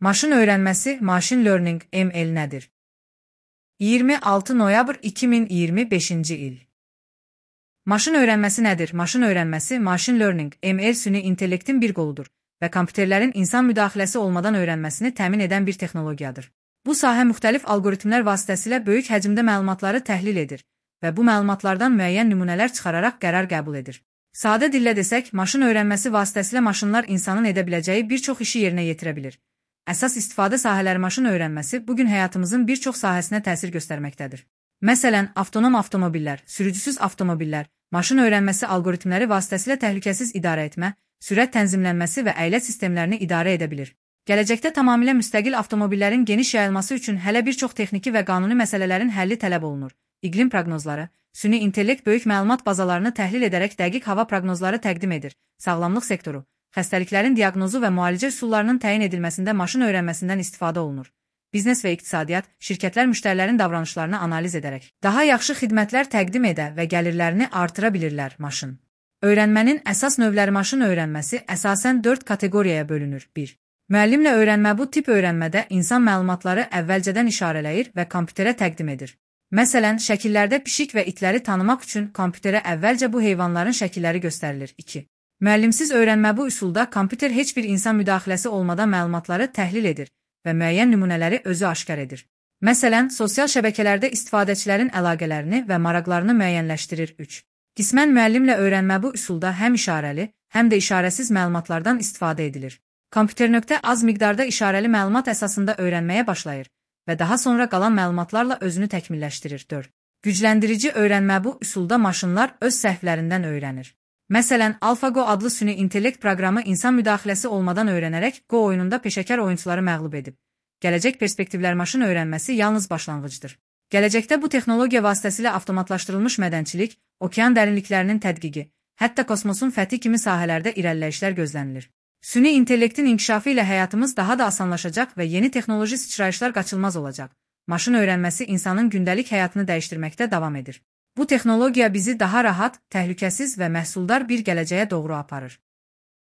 Maşın öyrənməsi, machine learning, ML nədir? 26 noyabr 2025-ci il. Maşın öyrənməsi nədir? Maşın öyrənməsi, machine learning, ML süni intellektin bir qoludur və kompüterlərin insan müdaxiləsi olmadan öyrənməsini təmin edən bir texnologiyadır. Bu sahə müxtəlif algoritmlər vasitəsilə böyük həcmdə məlumatları təhlil edir və bu məlumatlardan müəyyən nümunələr çıxararaq qərar qəbul edir. Sadə dillə desək, maşın öyrənməsi vasitəsilə maşınlar insanın edə biləcəyi bir çox işi yerinə yetirə bilir. Əsas istifadə sahələri maşın öyrənməsi bugün həyatımızın bir çox sahəsinə təsir göstərməkdədir. Məsələn, avtonom avtomobillər, sürücüsüz avtomobillər, maşın öyrənməsi algoritmləri vasitəsilə təhlükəsiz idarə etmə, sürət tənzimlənməsi və əylət sistemlərini idarə edə bilir. Gələcəkdə tamamilə müstəqil avtomobillərin geniş yayılması üçün hələ bir çox texniki və qanuni məsələlərin həlli tələb olunur. İqlim proqnozları, süni intellekt böyük məlumat bazalarını təhlil edərək dəqiq hava proqnozları təqdim edir. Sağlamlıq sektoru, xəstəliklərin diaqnozu və müalicə üsullarının təyin edilməsində maşın öyrənməsindən istifadə olunur. Biznes və iqtisadiyyat, şirkətlər müştərilərin davranışlarını analiz edərək daha yaxşı xidmətlər təqdim edə və gəlirlərini artıra bilirlər. Maşın öyrənmənin əsas növləri. Maşın öyrənməsi əsasən 4 kateqoriyaya bölünür. 1. Müəllimlə öyrənmə. Bu tip öyrənmədə insan məlumatları əvvəlcədən işarələyir və kompüterə təqdim edir. Məsələn, şəkillərdə pişik və itləri tanımaq üçün kompüterə əvvəlcə bu heyvanların şəkilləri göstərilir. 2. Müəllimsiz öyrənmə. Bu üsulda kompüter heç bir insan müdaxiləsi olmadan məlumatları təhlil edir və müəyyən nümunələri özü aşkar edir. Məsələn, sosial şəbəkələrdə istifadəçilərin əlaqələrini və maraqlarını müəyyənləşdirir. 3. Qismən müəllimlə öyrənmə. Bu üsulda həm işarəli, həm də işarəsiz məlumatlardan istifadə edilir. Kompüter az miqdarda işarəli məlumat əsasında öyrənməyə başlayır və daha sonra qalan məlumatlarla özünü təkmilləşdirir. 4. Gücləndirici öyrənmə. Bu üsulda maşınlar öz səhvlərindən öyrənir. Məsələn, AlphaGo adlı süni intellekt proqramı insan müdaxiləsi olmadan öyrənərək Go oyununda peşəkar oyunçuları məğlub edib. Gələcək perspektivlər. Maşın öyrənməsi yalnız başlanğıcdır. Gələcəkdə bu texnologiya vasitəsilə avtomatlaşdırılmış mədənçilik, okean dərinliklərinin tədqiqi, hətta kosmosun fəthi kimi sahələrdə irəliləyişlər gözlənilir. Süni intellektin inkişafı ilə həyatımız daha da asanlaşacaq və yeni texnoloji sıçrayışlar qaçılmaz olacaq. Maşın öyrənməsi insanın gündəlik həyatını dəyişdirməkdə davam edir. Bu texnologiya bizi daha rahat, təhlükəsiz və məhsuldar bir gələcəyə doğru aparır.